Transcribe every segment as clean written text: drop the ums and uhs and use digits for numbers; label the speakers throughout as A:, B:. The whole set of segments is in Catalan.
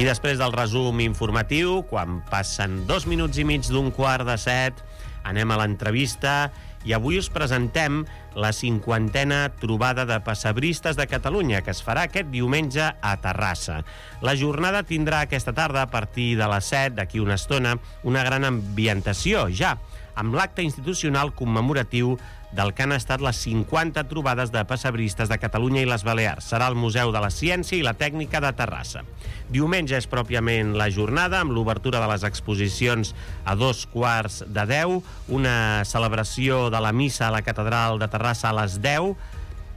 A: I després del resum informatiu, quan passen 2 minuts i mig d'un 6:15, anem a l'entrevista i avui us presentem la 50a trobada de pessebristes de Catalunya, que es farà aquest diumenge a Terrassa. La jornada tindrà aquesta tarda, a partir de les 7, d'aquí una estona, una gran ambientació, ja, amb l'acte institucional commemoratiu del que han estat les 50 trobades de pessebristes de Catalunya i les Balears. Serà al Museu de la Ciència i la Tècnica de Terrassa. Diumenge és pròpiament la jornada, amb l'obertura de les exposicions a 9:45, una celebració de la missa a la Catedral de Terrassa a les 10,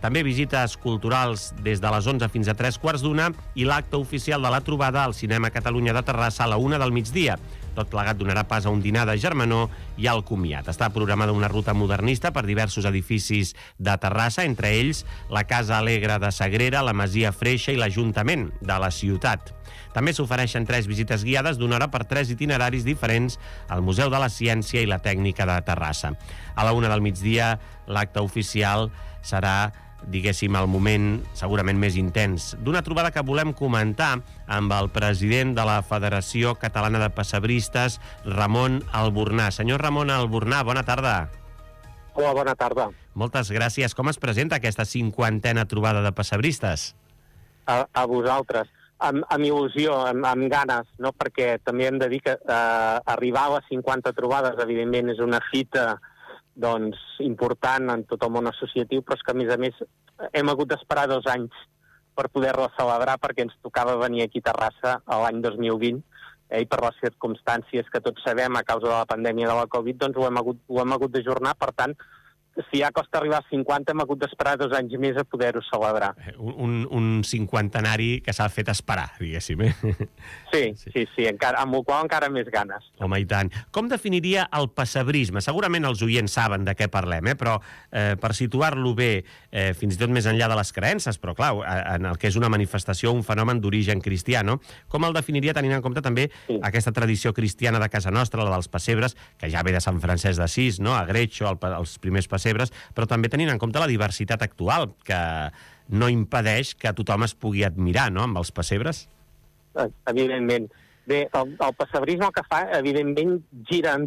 A: també visites culturals des de les 11 fins a 3:15 i l'acte oficial de la trobada al Cinema Catalunya de Terrassa a la 1 del migdia. Tot plegat donarà pas a un dinar de germanor i al comiat. Està programada una ruta modernista per diversos edificis de Terrassa, entre ells la Casa Alegre de Sagrera, la Masia Freixa i l'Ajuntament de la ciutat. També s'ofereixen 3 visites guiades d'una hora per 3 itineraris diferents al Museu de la Ciència i la Tècnica de Terrassa. A la 1 del migdia, l'acte oficial serà, diguéssim, el moment segurament més intens d'una trobada que volem comentar amb el president de la Federació Catalana de Pessebristes, Ramon Albornà. Senyor Ramon Albornà, bona tarda.
B: Hola, bona tarda.
A: Moltes gràcies. Com es presenta aquesta 50a trobada de pessebristes?
B: A vosaltres. Amb il·lusió, amb ganes, no? Perquè també hem de dir que arribar a les 50 trobades, evidentment, és una fita doncs, important en tot el món associatiu, però és que, a més, hem hagut d'esperar 2 anys per poder-la celebrar, perquè ens tocava venir aquí a Terrassa l'any 2020, i per les circumstàncies que tots sabem a causa de la pandèmia de la Covid, doncs ho hem hagut d'ajornar. Per tant, si ja costa arribar a 50, hem hagut d'esperar 2 anys més a poder-ho celebrar.
A: Un cinquantenari que s'ha fet esperar, diguéssim, eh?
B: Sí, encara, amb el qual encara més ganes.
A: Home, i tant. Com definiria el pessebrisme? Segurament els oients saben de què parlem, però per situar-lo bé, fins i tot més enllà de les creences, però clar, en el que és una manifestació, un fenomen d'origen cristià, no? Com el definiria tenint en compte també aquesta tradició cristiana de casa nostra, la dels pessebres, que ja ve de Sant Francesc d'Assís, no? A Greccio, els primers pessebres, però també tenint en compte la diversitat actual, que no impedeix que tothom es pugui admirar, no?, amb els pessebres.
B: Evidentment. Bé, el pessebrisme el que fa, evidentment, seria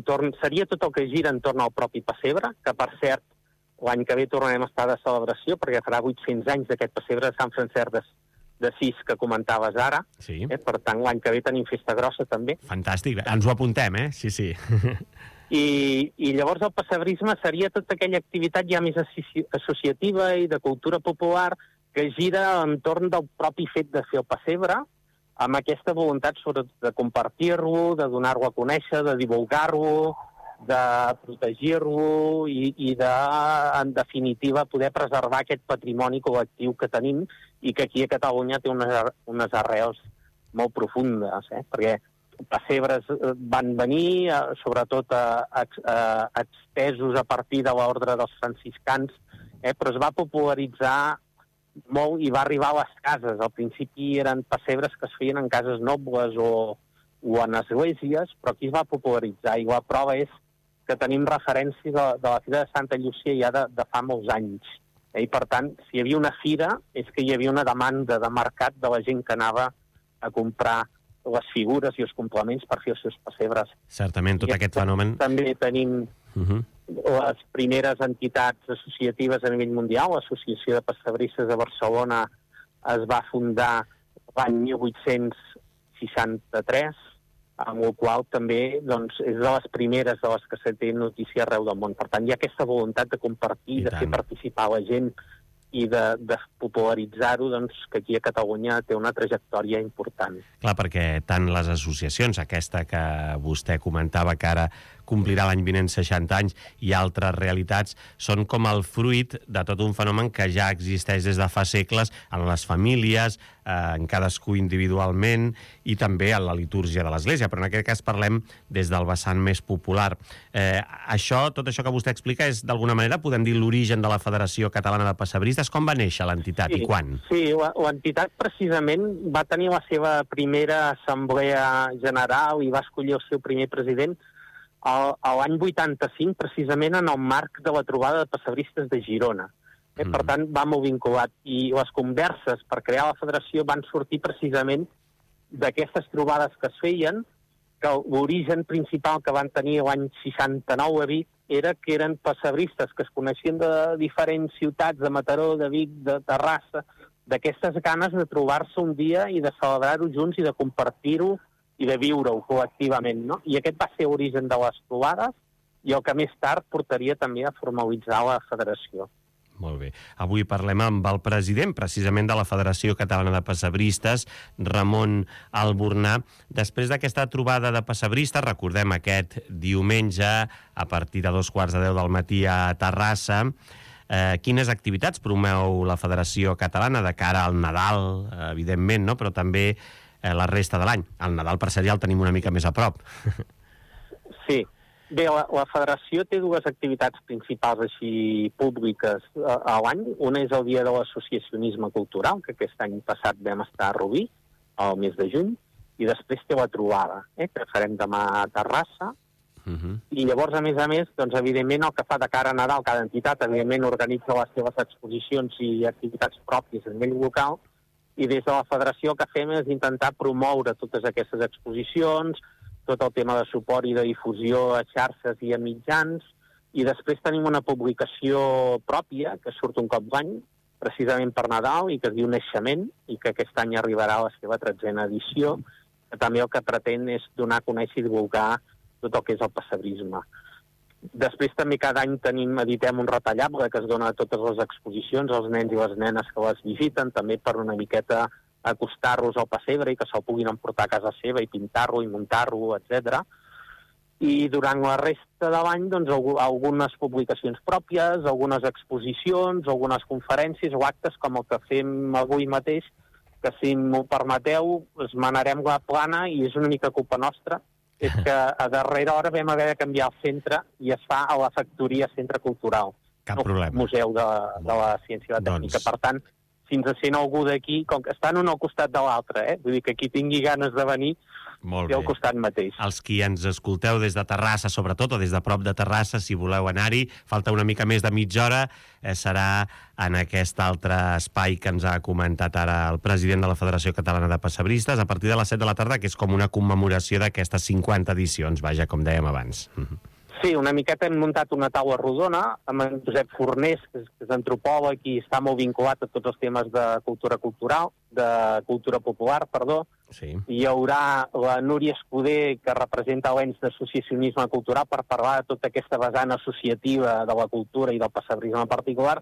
B: tot el que gira entorn al propi pessebre, que, per cert, l'any que ve tornarem a estar de celebració, perquè farà 800 anys d'aquest pessebre de Sant Francesc d'Assís que comentaves ara.
A: Sí.
B: Per tant, l'any que ve tenim festa grossa, també.
A: Fantàstic, ens ho apuntem, Sí.
B: I llavors el pessebrisme seria tota aquella activitat ja més associativa i de cultura popular que gira entorn del propi fet de fer el pessebre, amb aquesta voluntat sobretot de compartir-lo, de donar-lo a conèixer, de divulgar-lo, de protegir-lo i de, en definitiva, poder preservar aquest patrimoni col·lectiu que tenim i que aquí a Catalunya té unes arrels molt profundes, perquè pessebres van venir, sobretot extesos a partir de l'ordre dels franciscans, però es va popularitzar molt i va arribar a les cases. Al principi eren pessebres que es feien en cases nobles o en esglésies, però aquí es va popularitzar i la prova és que tenim referències de la Fira de Santa Llúcia ja de fa molts anys. I per tant, si hi havia una fira, és que hi havia una demanda de mercat de la gent que anava a comprar les figures i els complements per fer els seus pessebres.
A: Certament, tot aquest fenomen...
B: També tenim les primeres entitats associatives a nivell mundial. L'Associació de Pessebristes de Barcelona es va fundar l'any 1863, amb el qual també doncs, és de les primeres de les que se té notícia arreu del món. Per tant, hi ha aquesta voluntat de compartir, de fer participar la gent i de popularitzar-ho, doncs, que aquí a Catalunya té una trajectòria important.
A: Clar, perquè tant les associacions, aquesta que vostè comentava que ara complirà l'any vinent 60 anys, i altres realitats, són com el fruit de tot un fenomen que ja existeix des de fa segles en les famílies, en cadascú individualment, i també en la litúrgia de l'Església, però en aquest cas parlem des del vessant més popular. Tot això que vostè explica és, d'alguna manera, podem dir, l'origen de la Federació Catalana de Pessebristes. Com va néixer l'entitat i quan?
B: Sí, l'entitat precisament va tenir la seva primera assemblea general i va escollir el seu primer president l'any 85, precisament en el marc de la trobada de pessebristes de Girona. Per tant, va molt vinculat. I les converses per crear la federació van sortir precisament d'aquestes trobades que es feien, que l'origen principal que van tenir l'any 69 a Vic era que eren pessebristes que es coneixien de diferents ciutats, de Mataró, de Vic, de Terrassa, d'aquestes ganes de trobar-se un dia i de celebrar-ho junts i de compartir-ho i de viure-ho col·lectivament, no? I aquest va ser l'origen de les trobades i el que més tard portaria també a formalitzar la federació.
A: Molt bé. Avui parlem amb el president, precisament, de la Federació Catalana de Pessebristes, Ramon Albornà. Després d'aquesta trobada de pessebristes, recordem aquest diumenge, a partir de 2:15 del matí a Terrassa, quines activitats promou la Federació Catalana de cara al Nadal, evidentment, no? Però també la resta de l'any? El Nadal, per cert, ja el tenim una mica més a prop.
B: Sí. Bé, la federació té dues activitats principals així públiques a l'any. Una és el Dia de l'Associacionisme Cultural, que aquest any passat vam estar a Rubí, al mes de juny, i després té la trobada, que farem demà a Terrassa. I llavors, a més, doncs, evidentment, el que fa de cara a Nadal, cada entitat, evidentment, organitza les seves exposicions i activitats pròpies a nivell local, i des de la federació el que fem és intentar promoure totes aquestes exposicions, tot el tema de suport i de difusió a xarxes i a mitjans, i després tenim una publicació pròpia que surt un cop l'any, precisament per Nadal, i que es diu Naixement, i que aquest any arribarà a la seva 13a edició, que també el que pretén és donar a conèixer i divulgar tot el que és el pessebrisme. Després també cada any editem un retallable que es dona a totes les exposicions, als nens i les nenes que les visiten, també per una miqueta acostar-los al pessebre i que se'l puguin emportar a casa seva i pintar-lo i muntar-lo, etc. I durant la resta de l'any, doncs, algunes publicacions pròpies, algunes exposicions, algunes conferències o actes com el que fem avui mateix, que si m'ho permeteu, esmenarem la plana i és una mica culpa nostra, és que a darrera hora vam haver de canviar el centre i es fa a la Factoria Centre Cultural.
A: Cap problema.
B: Museu de la Ciència i la Tècnica. Per tant, si ens sent algú d'aquí, com que estan un al costat de l'altre, vull dir que qui tingui ganes de venir, té al costat mateix.
A: Els qui ens escolteu des de Terrassa, sobretot, o des de prop de Terrassa, si voleu anar-hi, falta una mica més de mitja hora, serà en aquest altre espai que ens ha comentat ara el president de la Federació Catalana de Pessebristes, a partir de les 7 de la tarda, que és com una commemoració d'aquestes 50 edicions, vaja, com dèiem abans.
B: Sí, una miqueta hem muntat una taula rodona amb en Josep Fornés, que és antropòleg i està molt vinculat a tots els temes de cultura popular, perdó.
A: Sí.
B: Hi haurà la Núria Escudé, que representa l'ens d'associacionisme cultural, per parlar de tota aquesta vessant associativa de la cultura i del pessebrisme en particular,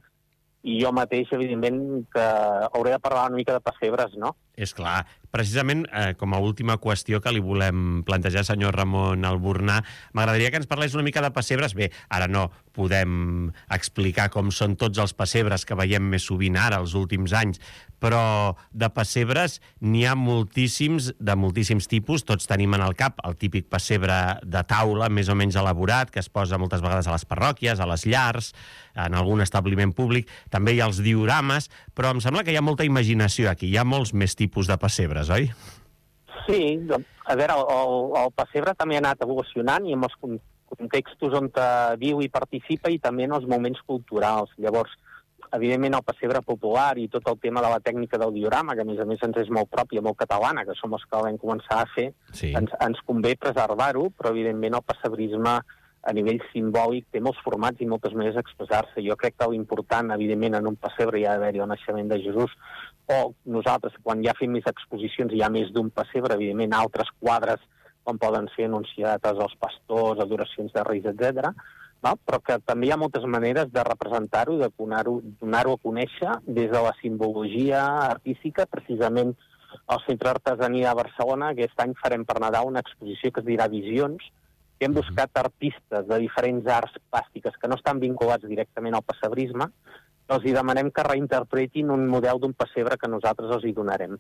B: i jo mateix, evidentment, que hauré de parlar una mica de pessebres, no?
A: És clar. Precisament, com a última qüestió que li volem plantejar, senyor Ramon Albornà, m'agradaria que ens parlés una mica de pessebres. Bé, ara no podem explicar com són tots els pessebres que veiem més sovint ara, els últims anys, però de pessebres n'hi ha moltíssims, de moltíssims tipus. Tots tenim en el cap el típic pessebre de taula, més o menys elaborat, que es posa moltes vegades a les parròquies, a les llars, en algun establiment públic. També hi ha els diorames, però em sembla que hi ha molta imaginació aquí. Hi ha molts més tipus de pessebres, oi?
B: Sí, a veure, el pessebre també ha anat evolucionant i en els contextos on viu i participa i també en els moments culturals. Llavors, evidentment, el pessebre popular i tot el tema de la tècnica del diorama, que a més ens és molt pròpia, molt catalana, que som els que vam començar a fer, sí. Ens convé preservar-ho, però evidentment el pessebrisme a nivell simbòlic té molts formats i moltes maneres d'expressar-se. Jo crec que l'important, evidentment, en un pessebre hi ha d'haver-hi el naixement de Jesús, o nosaltres, quan ja fem més exposicions, hi ha més d'un pessebre, evidentment, altres quadres, com poden ser anunciates als pastors, adoracions de reis, etc. No? Però que també hi ha moltes maneres de representar-ho i de donar-ho a conèixer des de la simbologia artística. Precisament al Centre d'Artesania de Barcelona aquest any farem per Nadal una exposició que es dirà Visions, que hem buscat artistes de diferents arts plàstiques que no estan vinculats directament al pessebrisme, els hi demanem que reinterpretin un model d'un pessebre que nosaltres els hi donarem.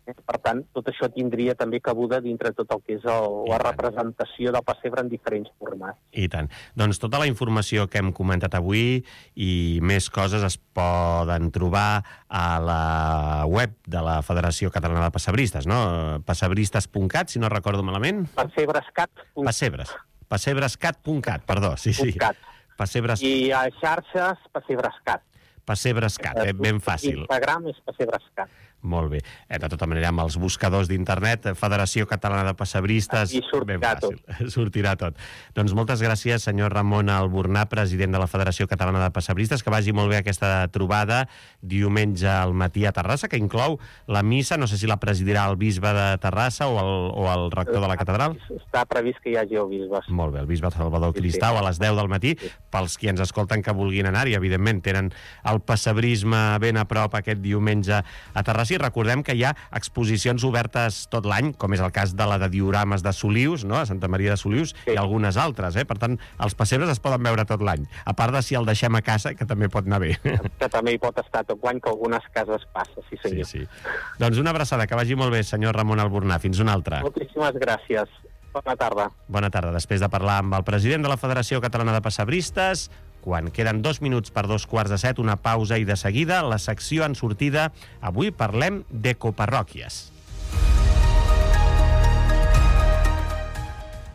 B: Per tant, tot això tindria també cabuda dintre tot el que és la representació del pessebre en diferents formats.
A: I tant. Doncs tota la informació que hem comentat avui i més coses es poden trobar a la web de la Federació Catalana de Pessebristes, no? Pessebristes.cat, si no recordo malament.
B: Pessebrescat.
A: Pessebrescat.cat, perdó. Sí. Pessebres...
B: I a xarxes, Pessebrescat.
A: Pessebrescat, ben fàcil.
B: Instagram és Pessebrescat.
A: Molt bé. De tota manera, amb els buscadors d'internet, Federació Catalana de Pessebristes...
B: I sortirà tot.
A: Sortirà tot. Doncs moltes gràcies, senyor Ramon Albornà, president de la Federació Catalana de Pessebristes, que vagi molt bé aquesta trobada diumenge al matí a Terrassa, que inclou la missa, no sé si la presidirà el bisbe de Terrassa o el rector de la catedral.
B: Està previst que hi hagi el bisbe.
A: Molt bé, el bisbe Salvador Cristau a les 10 del matí, pels qui ens escolten que vulguin anar-hi, evidentment, tenen el pessebrisme ben a prop aquest diumenge a Terrassa. I recordem que hi ha exposicions obertes tot l'any, com és el cas de la de diorames de Solius, no? A Santa Maria de Solius, i algunes altres. Per tant, els pessebres es poden veure tot l'any, a part de si el deixem a casa, que també pot anar bé.
B: Que també hi pot estar tot l'any, que algunes cases passa, sí senyor.
A: Sí. Doncs una abraçada, que vagi molt bé, senyor Ramon Albornà. Fins una altra.
B: Moltíssimes gràcies. Bona tarda.
A: Bona tarda. Després de parlar amb el president de la Federació Catalana de Pessebristes, quan queden 2 minuts per 2:15, una pausa i de seguida la secció en sortida. Avui parlem d'ecoparròquies.